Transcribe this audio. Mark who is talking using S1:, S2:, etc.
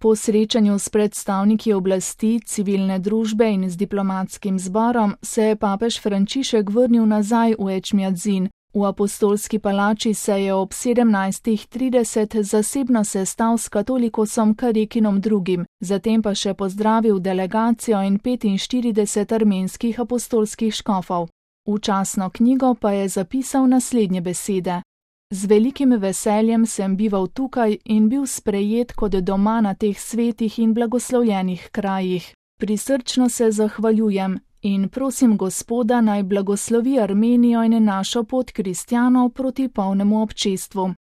S1: Po srečanju s predstavniki oblasti, civilne družbe in z diplomatskim zborom se je papež Frančišek vrnil nazaj v Ečmiadzin. V Apostolski palači se je ob 17:30 zasebno sestal s katolikosom Karekinom II., zatem pa še pozdravil delegacijo in 45 armenskih apostolskih škofov. V časno knjigo pa je zapisal naslednje besede: Z velikim veseljem sem bival tukaj in bil sprejet kot doma na teh svetih in blagoslovljenih krajih. Prisrčno se zahvaljujem in prosim Gospoda, naj blagoslovi Armenijo in našo pot kristjanov proti polnemu občestvu.